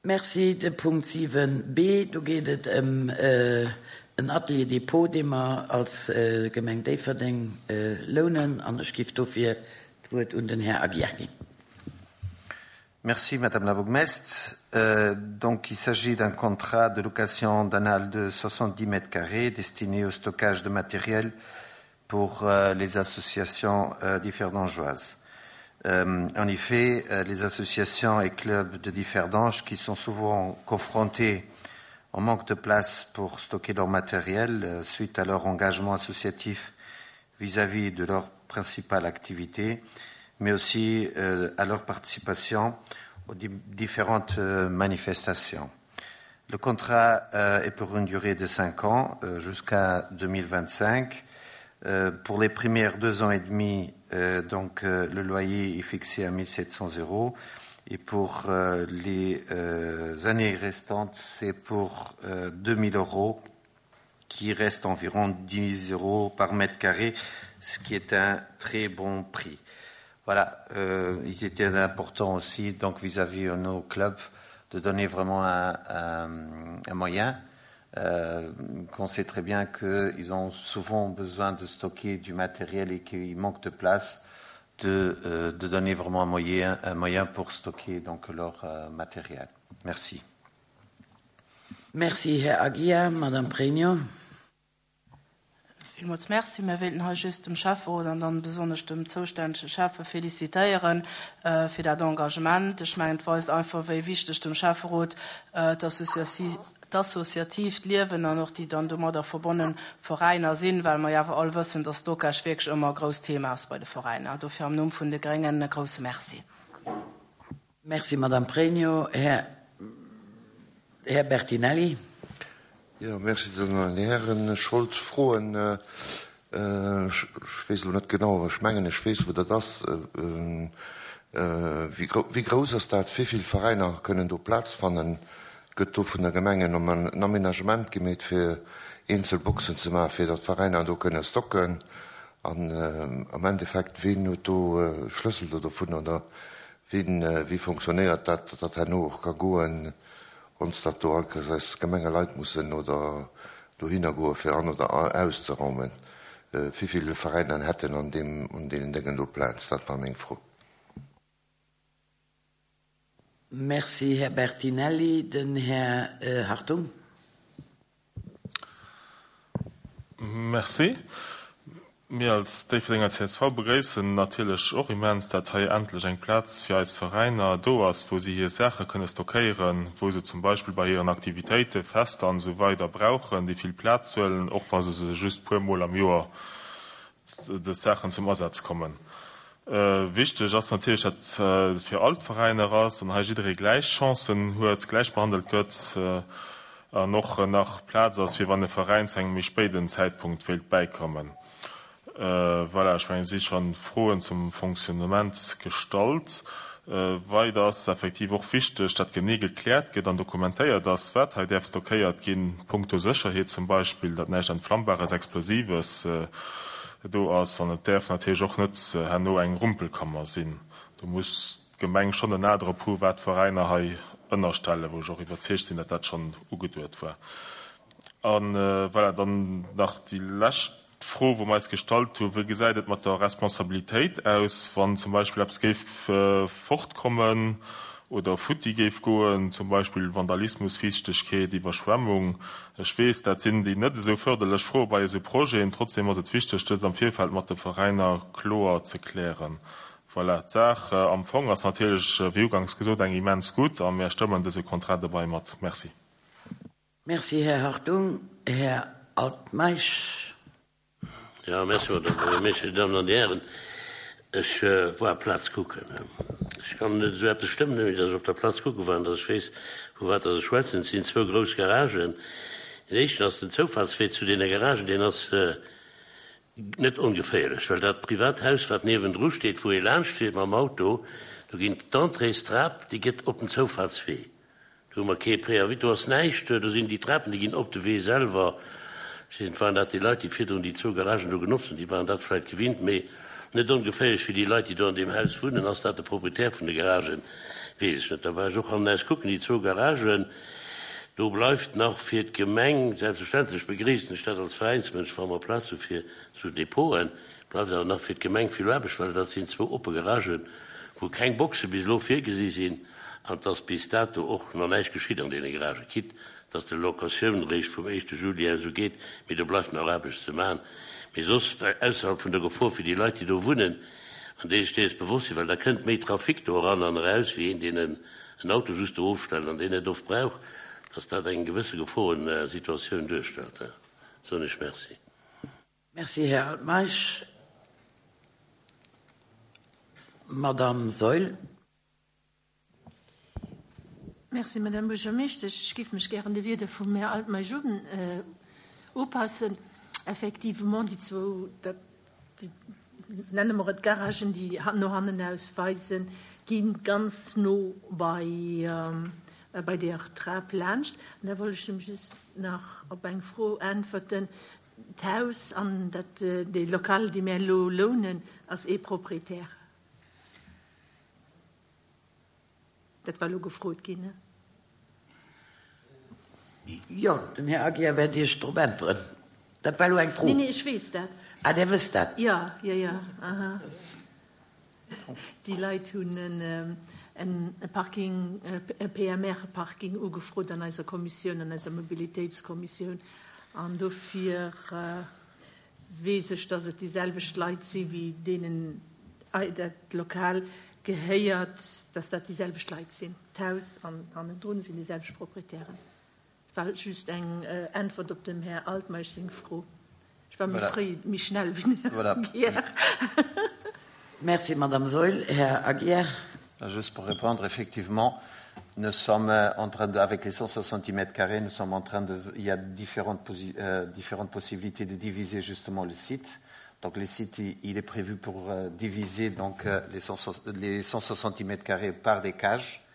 Merci. De Punkt 7 b, do geet et ëm en Atelier dépôt, dee mer als Gemeng Déifferdeng lounen, an ech géif dofir d'Wuert un den Här Aguiar ginn. Merci, Madame la Bourgmestre. Donc, il s'agit d'un contrat de location d'un hall de 70 mètres carrés destiné au stockage de matériel pour les associations differdangeoises. En effet, les associations et clubs de Differdange qui sont souvent confrontés au manque de place pour stocker leur matériel suite à leur engagement associatif vis-à-vis -vis de leur principale activité, mais aussi à leur participation aux différentes manifestations. Le contrat est pour une durée de cinq ans jusqu'à 2025. Pour les premières deux ans et demi, donc le loyer est fixé à 1700 euros et pour les années restantes, c'est pour 2000 euros qui reste environ 10 euros par mètre carré, ce qui est un très bon prix. Voilà, euh, il était important aussi donc vis-à-vis -vis de nos clubs de donner vraiment un, un, un moyen euh, qu'on sait très bien qu'ils ont souvent besoin de stocker du matériel et qu'il manque de place de, euh, de donner vraiment un moyen, un moyen pour stocker donc leur euh, matériel. Merci. Merci, Här Aguiar. Madame Pregno. Villmools Merci. Mir wéilten hei just dem Schäfferot an dann besonnesch dem zoustännege Schäffe félicitéiere fir dat Engagement. Ech mengen, et weist einfach, wéi wichteg dem Schäfferot d'associatiivt Liewen an och déi dann domadder verbonne Veräiner sinn, well mer jo awer all wëssen, dass Stockage wierklech ëmmer e grousst Thema ass bei de Veräiner. Dofir am Numm vun de Gréngen e grouse Merci. Merci, Madame Pregno. Här, Här Bertinelli. Jo, merci, Dir Dammen an Dir Hären. Ech wollt froen, ech weess elo net genau, awer ech mengen, ech weess, wou dat ass, Wéi grouss ass dat? Wéi vill Veräiner kënnen do Plaz fannen? Gëtt do vun der Gemeng en Aménagement gemeet, fir eenzel Boxen ze maachen, fir datt d'Veräiner do kënne stocken? An am Endeffekt, ween huet do Schlëssel do dovun oder wien, wéi fonctionnéiert dat, datt dat herno och ka goen, ons datt do all Kéiers eis Gemengeleit mussen oder dohinner goe fir an oder auszeraumen? Wéivill Veräiner hätten an deem, an deenen Déngen do Plaz? Dat war meng Fro. Merci, Här Bertinelli. Den Här Hartung. Merci. Mir als Déifferdenger csv begréissen natierlech och immens, dat hei endlech eng Plaz fir eis Veräiner do ass, wou si hir Saache kënne stockéieren, wou se zum Beispill bei hiren Aktivitéiten, Fester an esou weider brauchen, déi vill Plaz huelen, och wa se se just puer Mol am Joer dës Saachen zum Asaz kommen. Wichteg ass natierlech, dat et fir all d'Veräiner ass an hei jidderee gläich Chancen huet, gläich behandelt gëtt an och nach Plaz ass, fir wann e Veräin zu engem méi spéiden Zäitpunkt wéilt bäikommen. Voilà, ech mengen, et si scho Froen zum Fonctionnement gestallt. Weider ass es effektiv och wichteg, dat genee gekläert gëtt an dokumentéiert ass, wat hei däerf stockéiert ginn, punkto Sécherheet zum Beispill, datt näischt Entflammbares, Explosives do ass. An et däerf natierlech och net herno eng Rumpelkammer sinn. Do muss d'Gemeng schonn en A drop hu wat d'Veräiner hei ënnerstellen, wou ech och iwwerzeegt sinn, datt dat schonn ugeduet war. A voilà, dann nach déi lescht D'Fro, wou mer eis gestallt hu, Wéi gesäit et mat der Responsabilitéit aus, wann zum Beispill eppes géif fortkommen oder futti géif goen, zum Beispill Vandalismus, Fiichtegkeet, Iwwerschwemmung? Ech weess, dat sinn déi net esou förderlech Froe bei esou Projeten. Trotzdem ass et wichteg, dëst am Virfeld mat de Veräiner kloer ze klären. Voilà, d'Saach am Fong ass natierlech, wéi uganks gesot, eng immens gutt a mär stëmmen dëse Contrat dobei mat. Merci. Merci, Här Hartung. Här Altmeisch. Jo, merci, Madame Buergermeeschtesch. Dir Dammen an Dir Hären, ech war Plaz kucken. Ech kann net esou eppes stëmmen, ouni datt ech op der Plaz kucke war an datt ech weess, vu wat datt ech schwätzen. Et sinn zwou grouss Garagen. Deen éischten ass den Zoufahrtswee zu deene Garagen, deen ass net ongeféierlech, well dat privat Haus, wat niewendru steet, wou ee laanscht fiert mam Auto, do ginn d'Entréestrap, déi gëtt op den Zoufahrtswee. Do hu mer kee Préavis, do ass näischt, do sinn déi Trapen, déi ginn op de Wee selwer. Ech weess net, waren dat déi Leit, déi virdrun déi zwou Garagen do genotzt hunn, déi waren dat vläicht gewinnt, mee net ongeféierlech fir déi Leit, déi do an deem Haus wunnen. Ass dat de Proprietär vun de Garagen? Weess ech net. Da war ech och hannenaus kucken, déi zwou Garagen. Do bleift nach fir d'Gemeng, selbstverständlech begréissen ech dat als Veräinsmënsch, wa mer Plaz hu fir esou Depoten, bleift awer nach fir d'Gemeng vill Aarbecht, well dat sinn zwou oppe Garagen, wou keng Boxe bis elo virgesi sinn an et ass bis dato och nach näischt geschitt an deene Garagen, quitte dass d'Locatioun eréischt vum éischte Juli aus u geet, mee do bleift nach Aarbecht ze maachen. Mee soss, ausserhalb vun der Gefor fir déi Leit, déi do wunnen, an déi sech dees bewosst sinn, well da kënnt méi Trafic do eran an eraus, wéi een, deen en Auto just do ofstellt an deen net oft brauch, dass dat eng gewësse Geforensituatioun duerstellt. Soen ech Merci. Merci, Här Altmeisch. Madamm Saeul. Merci, Madame Buergermeeschtesch. Ech géif mech gären de Wierder vum Här Altmeisch upassen. Effectivement, déi zwou, dat, déi, nenne mer et Garagen, déi no hannen aus weisen, gi ganz no bei, bei där Trap laanscht. An da wollt ech nämlech just nach op eng Fro äntwerten. D'Haus an dat, dee Lokal, dee mir elo lounen, ass ee Proprietär. Dat war elo gefrot ginn, ne? Jo, den Här Aguiar wäert Iech drop äntweren. Dat war elo eng Fro. Nee, nee, ech weess dat. Ah, Dir wësst dat? Jo, jo, jo, aha. Déi Leit hunn e Parking, e PMR-Parking ugefrot an eiser Kommissioun, an eiser Mobilitéitskommissioun. An dofir weess ech, dass et déi selwecht Leit si wéi deenen dat Lokal gehéiert, dass dat déi selwecht Leit sinn. D'Haus an hannendrun sinn déi selwecht Proprietären. Et war just eng Äntwert op dem Här Altmeisch seng Fro. Ech war méi fréi, méi schnell wéi den Här Aguiar. Merci, Madame Saeul. Här Aguiar. Juste pour répondre, effectivement, nous sommes en train de, avec les 160 mètres carrés, nous sommes en train de, il y a différentes, euh, différentes possibilités de diviser justement le site. Donc le site, il, il est prévu pour euh, diviser donc, euh, les, 100, les 160 mètres carrés par des cages.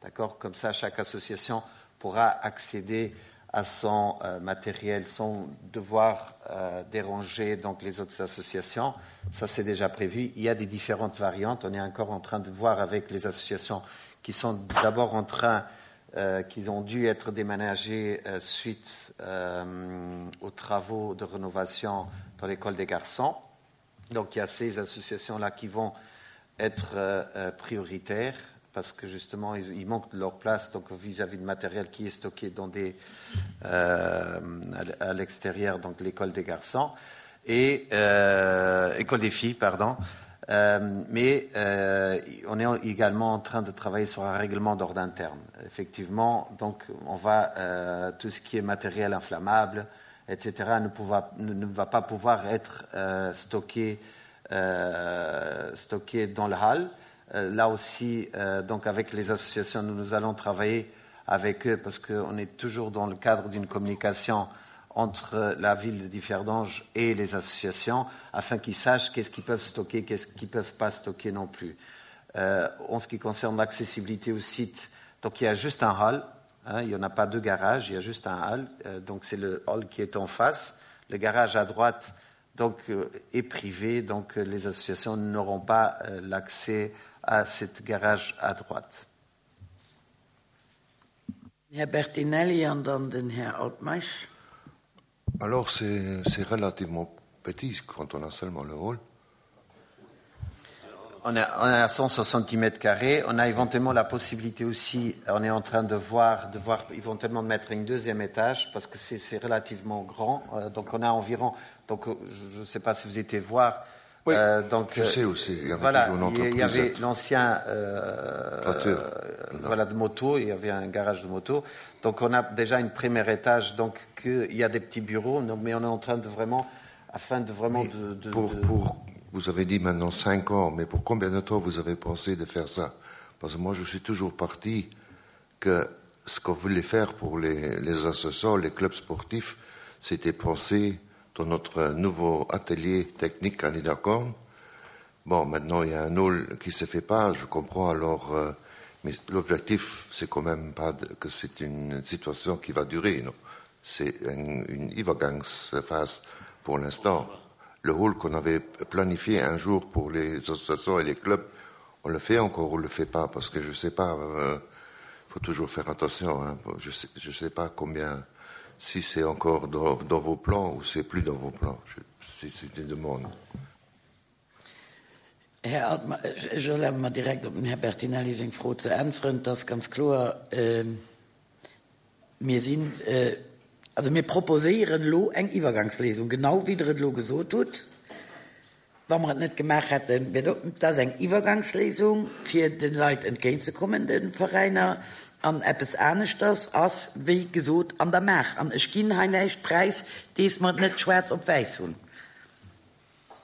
D'accord Comme ça, chaque association pourra accéder à son euh, matériel sans devoir euh, déranger donc, les autres associations. Ça, c'est déjà prévu. Il y a des différentes variantes. On est encore en train de voir avec les associations qui sont d'abord en train, euh, qui ont dû être déménagées euh, suite euh, aux travaux de rénovation dans l'école des garçons. Donc il y a ces associations-là qui vont être euh, euh, prioritaires parce que justement ils, ils manquent de leur place donc vis-à-vis -vis de matériel qui est stocké dans des, euh, à l'extérieur donc l'école des garçons et euh, école des filles pardon euh, mais euh, on est également en train de travailler sur un règlement d'ordre interne effectivement donc on va euh, tout ce qui est matériel inflammable etc ne, pouvoir, ne, ne va pas pouvoir être euh, stocké euh, stocké dans le hall euh, là aussi euh, donc avec les associations nous, nous allons travailler avec eux parce qu'on est toujours dans le cadre d'une communication entre la ville de Differdange et les associations afin qu'ils sachent qu'est-ce qu'ils peuvent stocker qu'est-ce qu'ils peuvent pas stocker non plus euh, en ce qui concerne l'accessibilité au site donc il y a juste un hall hein, il n'y en a pas deux garages il y a juste un hall euh, donc c'est le hall qui est en face le garage à droite donc euh, est privé donc euh, les associations n'auront pas euh, l'accès à cette garage à droite. Här Bertinelli an dann den Här Altmeisch. Alors c'est relativement petit quand on a seulement le hall. On a, on a 160 mètres carrés. On a éventuellement la possibilité aussi, on est en train de voir, de voir éventuellement de mettre une deuxième étage parce que c'est relativement grand. Euh, donc on a environ, donc je ne sais pas si vous étiez voir. Oui, euh, donc, je sais aussi. Il y avait voilà, il y avait l'ancien euh, euh, voilà, de moto, il y avait un garage de moto. Donc on a déjà une première étage, donc que, il y a des petits bureaux, mais on est en train de vraiment, afin de vraiment de, de, pour, de... pour, vous avez dit maintenant cinq ans, mais pour combien de temps vous avez pensé de faire ça Parce que moi je suis toujours parti que ce qu'on voulait faire pour les, les associations, les clubs sportifs, c'était penser dans notre nouveau atelier technique à Niederkorn. Bon, maintenant il y a un hall qui se fait pas, je comprends alors, euh, mais l'objectif c'est quand même pas de, que c'est une situation qui va durer, non C'est une, une Übergangsphase pour l'instant. Le hall qu'on avait planifié un jour pour les associations et les clubs, On le fait encore ou le fait pas parce que je sais pas euh, faut toujours faire attention hein, je sais, je sais pas combien si c'est encore dans, dans vos plans ou c'est plus dans vos plans c'est une demande. Här Altmeisch, ech erlabe mer direkt op dem Här Bertinelli seng Fro ze äntweren. Et ass ganz kloer, mir sinn, also mir proposéieren elo eng Iwwergangsléisung, genau wéi Der et elo gesot hutt. Wa mer et net gemaach hätten, wär do, et ass eng Iwwergangsléisung, fir de Leit entgéintzekommen, de Veräiner. An eppes aneschters ass, wéi gesot, an der Maach. An ech ginn hei näischt präis, dees mer et net schwaarz op wäiss hunn.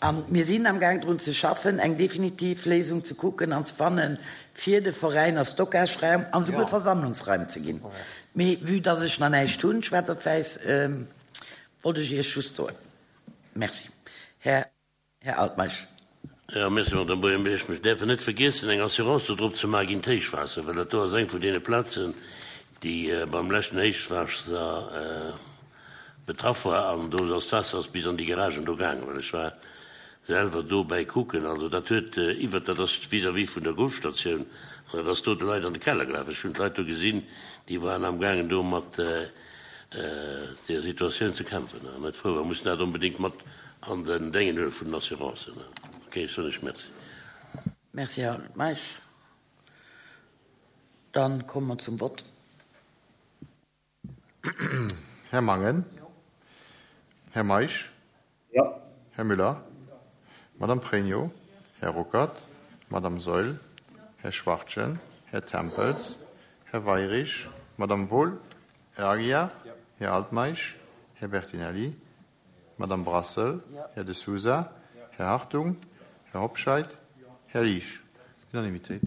A mir sinn amgaang drun ze schaffen, eng definitiv Léisung ze kucken an ze fannen, fir de Veräiner Stockageraum an esouguer Versammlungsraim ze ginn. Mee vue dass ech nach näischt hunn, schwaarz op wäiss, wollt ech Iech just soen. Merci. Här Altmeisch. Jo, merci, Madame Buergermeeschtesch. Mir däerfen net vergiessen, eng Assurance do drop ze maachen géint d'Héichwaasser, well dat do ass eng vun deene Plazen, déi beim leschten Héichwaasser betraff war. An do ass d'Waasser ass bis an déi Garagen do gaangen, well ech war selwer dobäi kucken. Also dat huet iwwert, dat ass vis-à-vis vun der Golfstatioun, an dat ass do de Leit an de Keller gelaf. Ech hunn d'Leit do gesinn, déi waren amgaangen do mat der Situatioun ze kämpfen. An net frou war, mussen dat onbedéngt mat an den Déngen huele vun den Assurancen. Ok, ech soen lech Merci. Merci, Här Meisch. Dann komme mer zum Vott. Här Mangen. Här Meisch. Jo. Här Müller. Madame Pregno. Här Ruckert. Madame Saeul. Här Schwachtgen. Här Tempels. Här Weirich. Madame Wohl. Här Aguiar. Här Altmeisch. Här Bertinelli. Madame Brassel. Här De Sousa. Här Hartung. Här Hobscheit. Här Liesch. Unanimitéit.